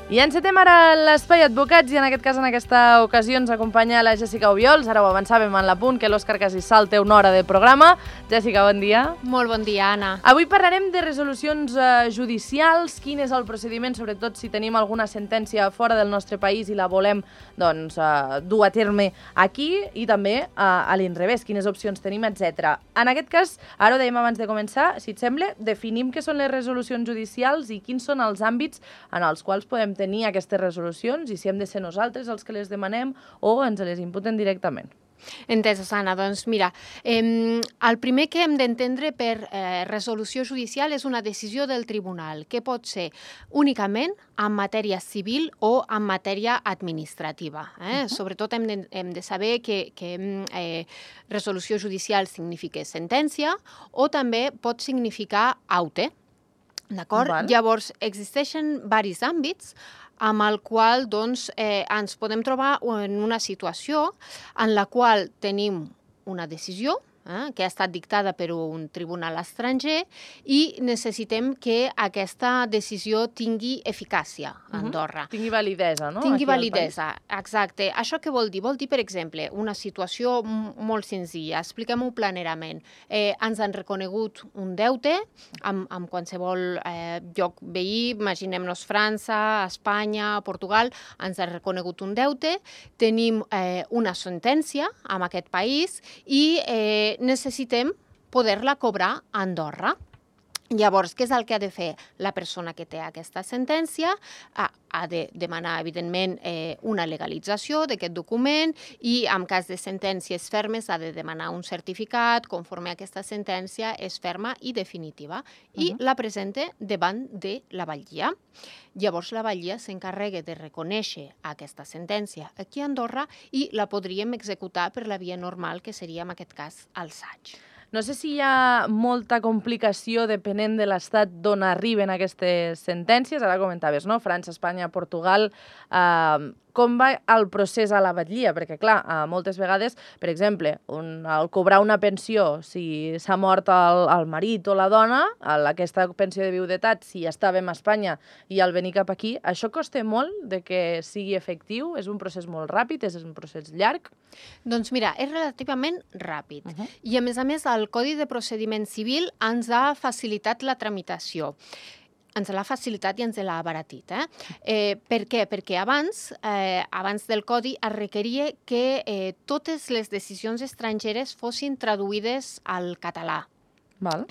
I encetem ara l'Espai Advocats i en aquest cas, en aquesta ocasió, ens acompanya la Jèssica Obiols. Ara ho avançàvem en l'apunt, que l'Òscar Casissal té una hora de programa. Jèssica, bon dia. Molt bon dia, Anna. Avui parlarem de resolucions judicials, quin és el procediment, sobretot si tenim alguna sentència fora del nostre país i la volem dur a terme aquí, i també a l'inrevés, quines opcions tenim, etc. En aquest cas, ara ho dèiem abans de començar, si et sembla, definim què són les resolucions judicials i quins són els àmbits en els quals podem tenir aquestes resolucions i si hem de ser nosaltres els que les demanem o ens les imputen directament. Entesos, Anna. Doncs mira, el primer que hem d'entendre per resolució judicial és una decisió del tribunal, que pot ser únicament en matèria civil o en matèria administrativa. Sobretot hem de saber que resolució judicial significa sentència o també pot significar aute. D'acord? Llavors, existeixen diversos àmbits amb el qual ens podem trobar en una situació en la qual tenim una decisió que ha estat dictada per un tribunal estranger i necessitem que aquesta decisió tingui eficàcia a Andorra. Tingui validesa, no? Tingui validesa, exacte. Això què vol dir? Vol dir, per exemple, una situació molt senzilla. Expliquem-ho planerament. Ens han reconegut un deute amb qualsevol lloc veí, imaginem-nos França, Espanya, Portugal, ens han reconegut un deute, tenim una sentència en aquest país i necessitem poder-la cobrar a Andorra. Llavors, què és el que ha de fer la persona que té aquesta sentència? Ha de demanar, evidentment, una legalització d'aquest document i, en cas de sentències fermes, ha de demanar un certificat conforme aquesta sentència és ferma i definitiva i la presenta davant de la batllia. Llavors, la batllia s'encarrega de reconèixer aquesta sentència aquí a Andorra i la podríem executar per la via normal, que seria, en aquest cas, el SAIG. No sé si hi ha molta complicació depenent de l'estat d'on arriben aquestes sentències. Ara comentaves, no? França, Espanya, Portugal. Com va el procés a la batllia? Perquè, clar, moltes vegades, per exemple, al cobrar una pensió, si s'ha mort el marit o la dona, aquesta pensió de viudetat, si estàvem a Espanya i al venir cap aquí, això costa molt de que sigui efectiu? És un procés molt ràpid? És un procés llarg? Doncs mira, és relativament ràpid. I, a més, el Codi de Procediment Civil ens ha facilitat la tramitació. Ens l'ha facilitat i ens l'ha abaratit. Per què? Perquè abans del Codi es requeria que totes les decisions estrangeres fossin traduïdes al català.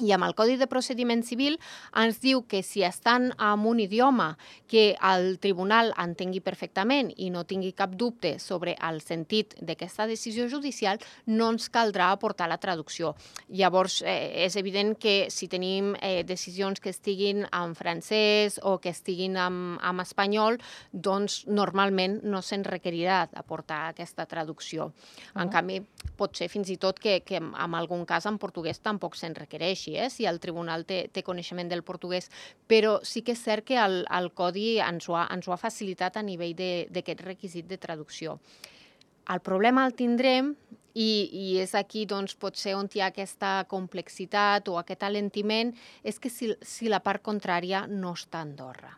I amb el Codi de Procediment Civil ens diu que si estan en un idioma que el tribunal entengui perfectament i no tingui cap dubte sobre el sentit d'aquesta decisió judicial, no ens caldrà aportar la traducció. Llavors, és evident que si tenim decisions que estiguin en francès o que estiguin en espanyol, doncs normalment no se'n requerirà aportar aquesta traducció. En canvi, pot ser fins i tot que en algun cas en portuguès tampoc se'n requereix, si el tribunal té coneixement del portuguès, però sí que és cert que el Codi ens ho ha facilitat a nivell d'aquest requisit de traducció. El problema el tindrem, i és aquí potser on hi ha aquesta complexitat o aquest alentiment, és que si la part contrària no està a Andorra.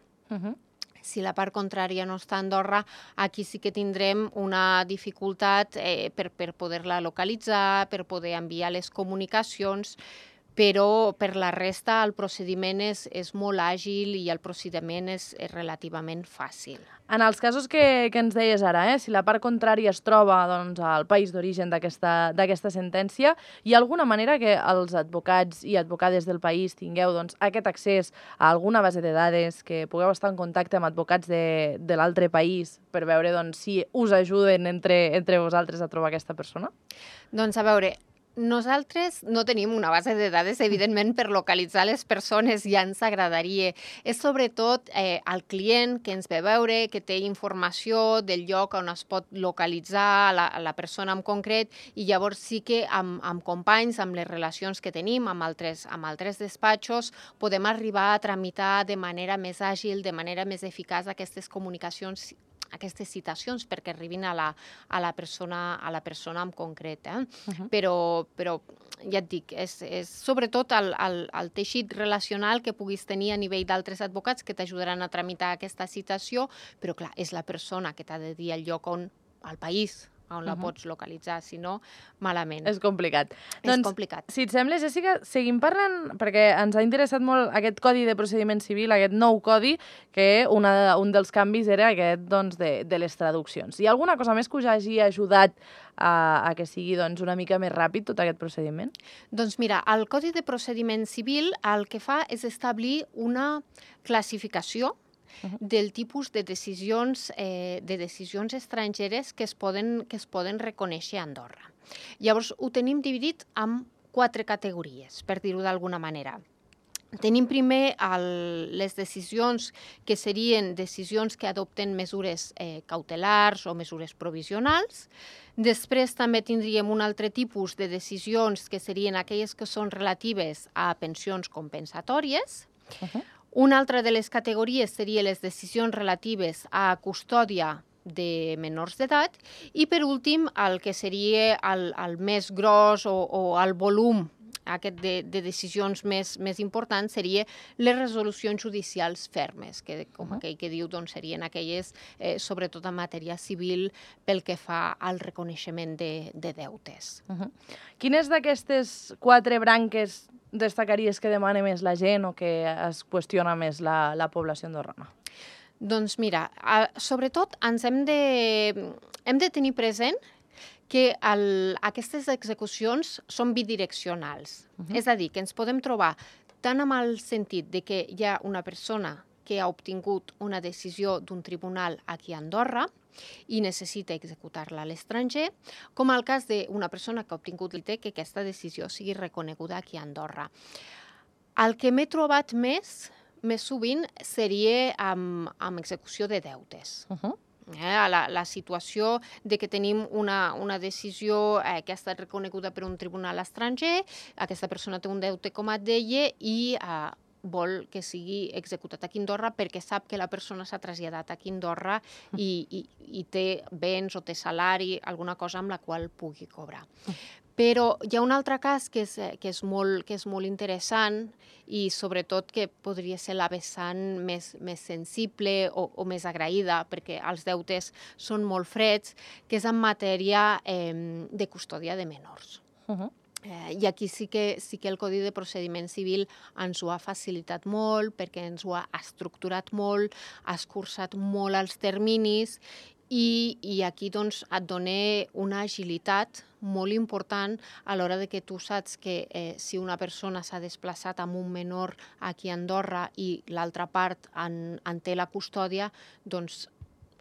Si la part contrària no està a Andorra, aquí sí que tindrem una dificultat per poder-la localitzar, per poder enviar les comunicacions, però per la resta el procediment és molt àgil i el procediment és relativament fàcil. En els casos que ens deies ara, si la part contrària es troba al país d'origen d'aquesta sentència, hi ha alguna manera que els advocats i advocades del país tingueu aquest accés a alguna base de dades, que pugueu estar en contacte amb advocats de l'altre país per veure si us ajuden entre vosaltres a trobar aquesta persona? Doncs a veure, nosaltres no tenim una base de dades, evidentment, per localitzar les persones, ja ens agradaria. És sobretot el client que ens ve a veure, que té informació del lloc on es pot localitzar la persona en concret, i llavors sí que amb companys, amb les relacions que tenim, amb altres despatxos, podem arribar a tramitar de manera més àgil, de manera més eficaç aquestes comunicacions, aquestes citacions perquè arribin a la persona en concret. Però ja et dic, és sobretot el teixit relacional que puguis tenir a nivell d'altres advocats que t'ajudaran a tramitar aquesta citació, però clar, és la persona que t'ha de dir el lloc on, al país, on la pots localitzar, si no, malament. És complicat. És complicat. Si et sembla, Jessica, seguim parlant, perquè ens ha interessat molt aquest Codi de Procediment Civil, aquest nou codi, que un dels canvis era aquest de les traduccions. Hi ha alguna cosa més que us hagi ajudat a que sigui una mica més ràpid tot aquest procediment? Doncs mira, el Codi de Procediment Civil el que fa és establir una classificació del tipus de decisions estrangeres que es poden reconèixer a Andorra. Llavors, ho tenim dividit en 4 categories, per dir-ho d'alguna manera. Tenim primer les decisions que serien decisions que adopten mesures cautelars o mesures provisionals. Després també tindríem un altre tipus de decisions que serien aquelles que són relatives a pensions compensatòries. Una altra de les categories serien les decisions relatives a custòdia de menors d'edat i, per últim, el que seria el més gros o el volum aquest de decisions més importants seria les resolucions judicials fermes, que com aquell que diu serien aquelles, sobretot en matèria civil, pel que fa al reconeixement de deutes. Quines d'aquestes 4 branques destacaries que demana més la gent o que es qüestiona més la població andorrana? Doncs mira, sobretot ens hem de tenir present que aquestes execucions són bidireccionals. És a dir, que ens podem trobar tant amb el sentit de que hi ha una persona que ha obtingut una decisió d'un tribunal aquí a Andorra i necessita executar-la a l'estranger, com el cas d'una persona que ha obtingut que aquesta decisió sigui reconeguda aquí a Andorra. El que m'he trobat més sovint seria amb execució de deutes. La situació de que tenim una decisió que ha estat reconeguda per un tribunal estranger, aquesta persona té un deute, com et deia, i vol que sigui executat aquí a Andorra perquè sap que la persona s'ha traslladat aquí a Andorra i té béns o té salari, alguna cosa amb la qual pugui cobrar. Però hi ha un altre cas que és molt interessant i sobretot que podria ser la vessant més sensible o més agraïda, perquè els deutes són molt freds, que és en matèria de custòdia de menors. I aquí sí que el Codi de Procediment Civil ens ho ha facilitat molt, perquè ens ho ha estructurat molt, ha escurçat molt els terminis i aquí et dona una agilitat molt important a l'hora de que tu saps que si una persona s'ha desplaçat amb un menor aquí a Andorra i l'altra part en té la custòdia, doncs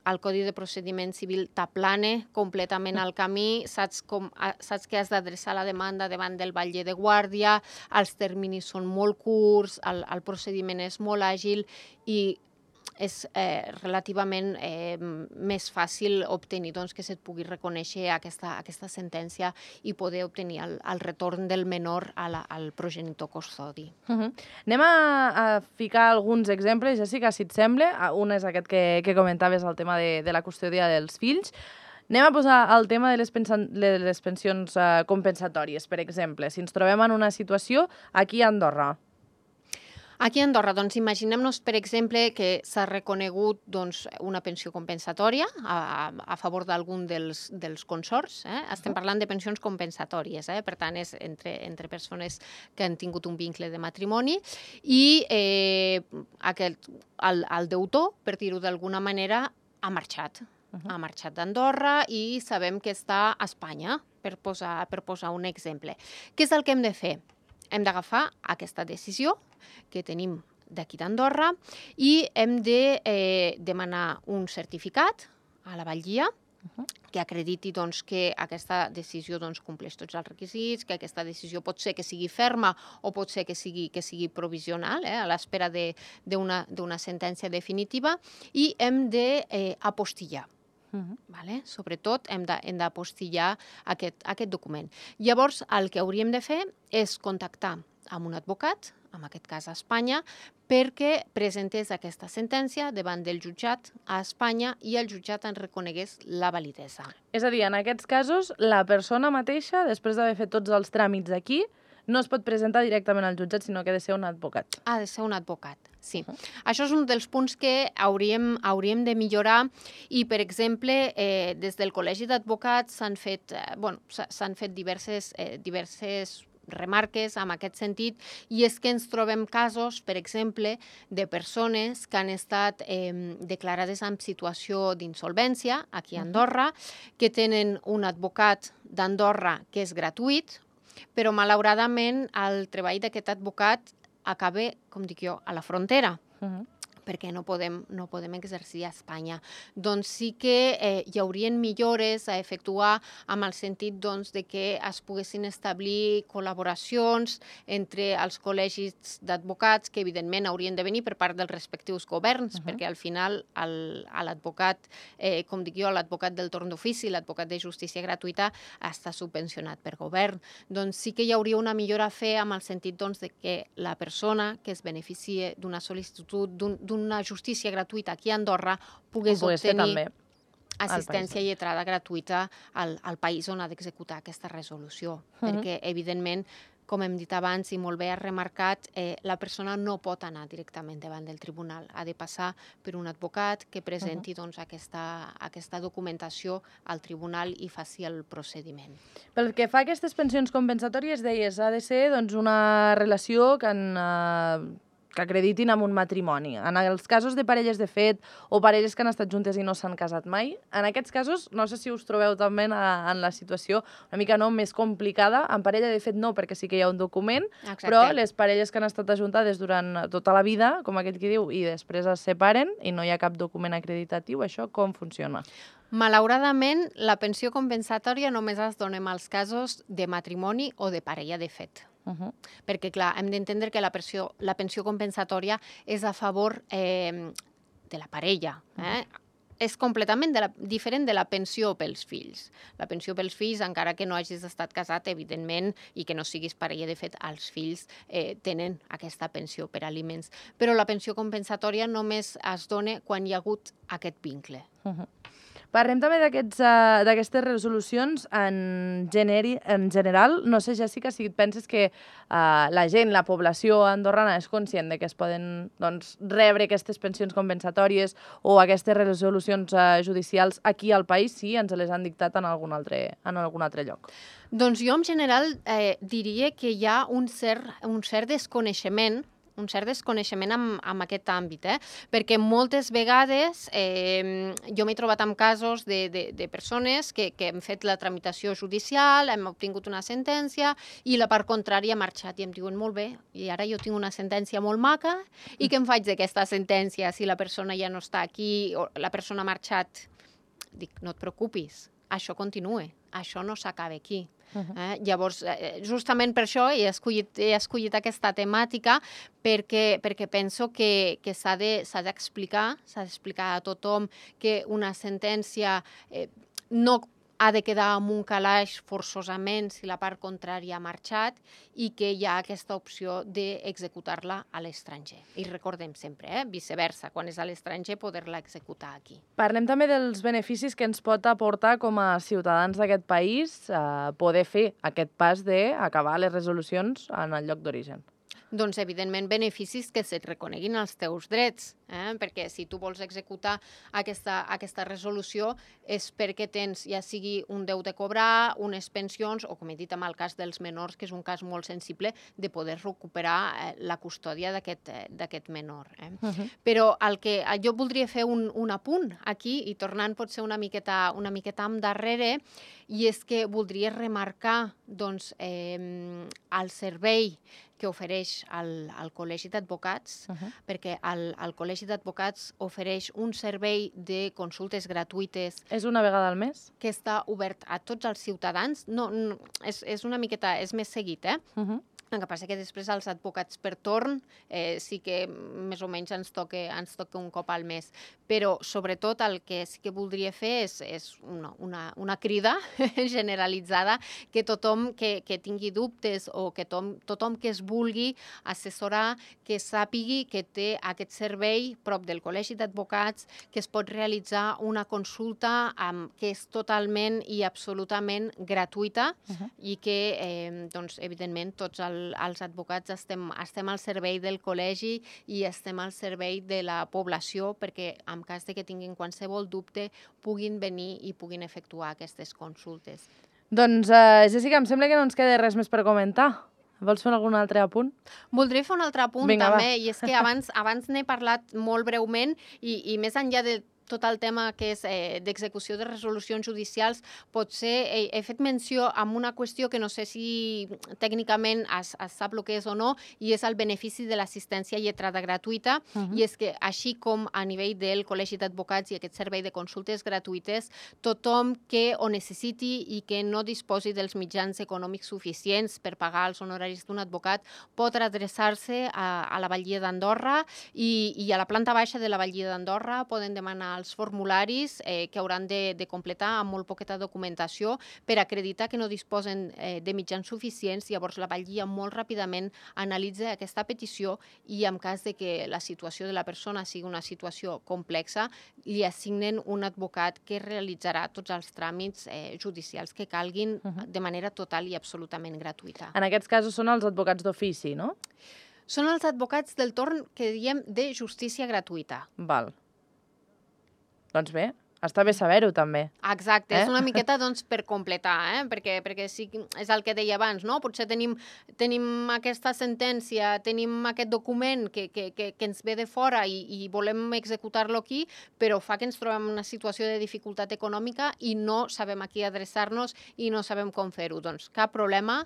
el Codi de Procediment Civil t'aplana completament el camí, saps que has d'adreçar la demanda davant del batlle de guàrdia, els terminis són molt curts, el procediment és molt àgil i és relativament més fàcil obtenir que se't pugui reconèixer aquesta sentència i poder obtenir el retorn del menor al progenitor custodi. Anem a ficar alguns exemples, Jessica, si et sembla. Un és aquest que comentaves, el tema de la custòdia dels fills. Anem a posar el tema de les pensions compensatòries, per exemple. Si ens trobem en una situació aquí a Andorra. Aquí a Andorra, imaginem-nos, per exemple, que s'ha reconegut una pensió compensatòria a favor d'algun dels consorts. Estem parlant de pensions compensatòries, per tant, és entre persones que han tingut un vincle de matrimoni i el deutor, per dir-ho d'alguna manera, ha marxat. Ha marxat d'Andorra i sabem que està a Espanya, per posar un exemple. Què és el que hem de fer? Hem d'agafar aquesta decisió que tenim d'aquí d'Andorra i hem de demanar un certificat a la batllia que acrediti que aquesta decisió compleix tots els requisits, que aquesta decisió pot ser que sigui ferma o pot ser que sigui provisional, a l'espera d'una sentència definitiva, i hem d'apostillar. Sobretot hem d'apostillar aquest document. Llavors, el que hauríem de fer és contactar amb un advocat, en aquest cas a Espanya, perquè presentés aquesta sentència davant del jutjat a Espanya i el jutjat en reconegués la validesa. És a dir, en aquests casos, la persona mateixa, després d'haver fet tots els tràmits aquí, no es pot presentar directament al jutjat, sinó que ha de ser un advocat. Ha de ser un advocat, sí. Això és un dels punts que hauríem de millorar i, per exemple, des del Col·legi d'Advocats s'han fet diverses remarques en aquest sentit, i és que ens trobem casos, per exemple, de persones que han estat declarades en situació d'insolvència aquí a Andorra, que tenen un advocat d'Andorra que és gratuït, però malauradament el treball d'aquest advocat acaba, com dic jo, a la frontera. Perquè no podem exercir a Espanya. Doncs sí que hi haurien millores a efectuar amb el sentit de que es poguessin establir col·laboracions entre els col·legis d'advocats, que evidentment haurien de venir per part dels respectius governs, perquè al final l'advocat, com dic jo, l'advocat del torn d'ofici, l'advocat de justícia gratuïta, està subvencionat per govern. Doncs sí que hi hauria una millora a fer amb el sentit de que la persona que es beneficie d'una sol·licitud, d'una justícia gratuïta aquí a Andorra, pogués obtenir assistència lletrada gratuïta al país on ha d'executar aquesta resolució. Perquè, evidentment, com hem dit abans i molt bé has remarcat, la persona no pot anar directament davant del tribunal. Ha de passar per un advocat que presenti aquesta documentació al tribunal i faci el procediment. Pel que fa a aquestes pensions compensatòries, deies, ha de ser una relació que acreditin amb un matrimoni. En els casos de parelles de fet o parelles que han estat juntes i no s'han casat mai, en aquests casos, no sé si us trobeu també en la situació una mica més complicada. En parella de fet no, perquè sí que hi ha un document, però les parelles que han estat ajuntades durant tota la vida, com aquell que diu, i després es separen i no hi ha cap document acreditatiu, això com funciona? Malauradament, la pensió compensatòria només es dona en els casos de matrimoni o de parella de fet. Perquè, clar, hem d'entendre que la pensió compensatòria és a favor de la parella. És completament diferent de la pensió pels fills. La pensió pels fills, encara que no hagis estat casat, evidentment, i que no siguis parella de fet, els fills tenen aquesta pensió per aliments. Però la pensió compensatòria només es dona quan hi ha hagut aquest vincle. Parlem també d'aquestes resolucions en general. No sé, Jessica, si et penses que la gent, la població andorrana és conscient de que es poden rebre aquestes pensions compensatòries o aquestes resolucions judicials aquí al país, si ens les han dictat en algun altre lloc. Doncs jo, en general, diria que hi ha un cert desconeixement en aquest àmbit, perquè moltes vegades jo m'he trobat amb casos de persones que hem fet la tramitació judicial, hem obtingut una sentència i la part contrària ha marxat i em diuen molt bé, i ara jo tinc una sentència molt maca i què em faig d'aquesta sentència si la persona ja no està aquí o la persona ha marxat? Dic, no et preocupis, això continua, això no s'acaba aquí. Llavors, justament per això he escollit aquesta temàtica perquè penso que s'ha d'explicar a tothom que una sentència no ha de quedar amb un calaix forçosament si la part contrària ha marxat i que hi ha aquesta opció d'executar-la a l'estranger. I recordem sempre, viceversa, quan és a l'estranger poder-la executar aquí. Parlem també dels beneficis que ens pot aportar com a ciutadans d'aquest país poder fer aquest pas d'acabar les resolucions en el lloc d'origen. Doncs, evidentment, beneficis que se't reconeguin els teus drets, perquè si tu vols executar aquesta resolució és perquè tens, ja sigui un deute a cobrar, unes pensions, o com he dit en el cas dels menors, que és un cas molt sensible, de poder recuperar la custòdia d'aquest menor. Però jo voldria fer un apunt aquí, i tornant potser una miqueta endarrere, i és que voldria remarcar el servei que ofereix el Col·legi d'Advocats, perquè el Col·legi d'Advocats ofereix un servei de consultes gratuïtes. És una vegada al mes? Que està obert a tots els ciutadans. No, és una miqueta, és més seguit, El que passa que després els advocats per torn sí que més o menys ens toca un cop al mes. Però sobretot el que sí que voldria fer és una crida generalitzada que tothom que tingui dubtes o que tothom que es vulgui assessorar, que sàpigui que té aquest servei prop del Col·legi d'Advocats, que es pot realitzar una consulta que és totalment i absolutament gratuïta i que, evidentment, tots els els advocats estem al servei del col·legi i estem al servei de la població perquè en cas de que tinguin qualsevol dubte puguin venir i puguin efectuar aquestes consultes. Doncs, Jessica, em sembla que no ens queda res més per comentar. Vols fer algun altre apunt? Voldria fer un altre apunt també, i és que abans n'he parlat molt breument i més enllà de tot el tema que és d'execució de resolucions judicials, potser he fet menció amb una qüestió que no sé si tècnicament es sap el que és o no, i és el benefici de l'assistència lletrada gratuïta, i és que així com a nivell del Col·legi d'Advocats i aquest servei de consultes gratuïtes, tothom que ho necessiti i que no disposi dels mitjans econòmics suficients per pagar els honoraris d'un advocat pot adreçar-se a la Batllia d'Andorra i a la planta baixa de la Batllia d'Andorra poden demanar els formularis que hauran de completar amb molt poqueta documentació per acreditar que no disposen de mitjans suficients. Llavors la Batllia molt ràpidament analitza aquesta petició i en cas de que la situació de la persona sigui una situació complexa, li assignen un advocat que realitzarà tots els tràmits judicials que calguin de manera total i absolutament gratuïta. En aquests casos són els advocats d'ofici, no? Són els advocats del torn que diem de justícia gratuïta. Val. Doncs bé, està bé saber-ho també. Exacte, és una miqueta per completar, perquè sí, és el que deia abans, no? Potser tenim aquesta sentència, tenim aquest document que ens ve de fora i volem executar-lo aquí, però fa que ens trobem en una situació de dificultat econòmica i no sabem a qui adreçar-nos i no sabem com fer-ho. Doncs cap problema.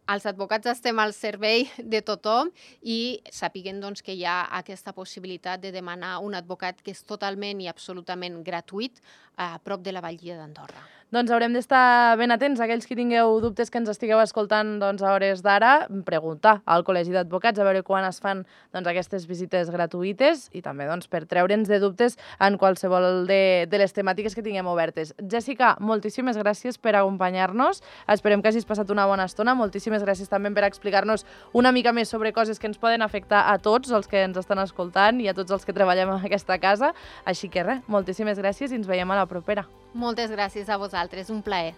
Els advocats estem al servei de tothom i sapiguen que hi ha aquesta possibilitat de demanar un advocat que és totalment i absolutament gratuït a prop de la Batllia d'Andorra. Doncs haurem d'estar ben atents, aquells que tingueu dubtes que ens estigueu escoltant a hores d'ara, preguntar al Col·legi d'Advocats a veure quan es fan aquestes visites gratuïtes i també per treure'ns de dubtes en qualsevol de les temàtiques que tinguem obertes. Jessica, moltíssimes gràcies per acompanyar-nos. Esperem que hagis passat una bona estona. Moltíssimes gràcies també per explicar-nos una mica més sobre coses que ens poden afectar a tots els que ens estan escoltant i a tots els que treballem en aquesta casa. Així que res, moltíssimes gràcies i ens veiem a la propera. Moltes gràcies a vosaltres, un plaer.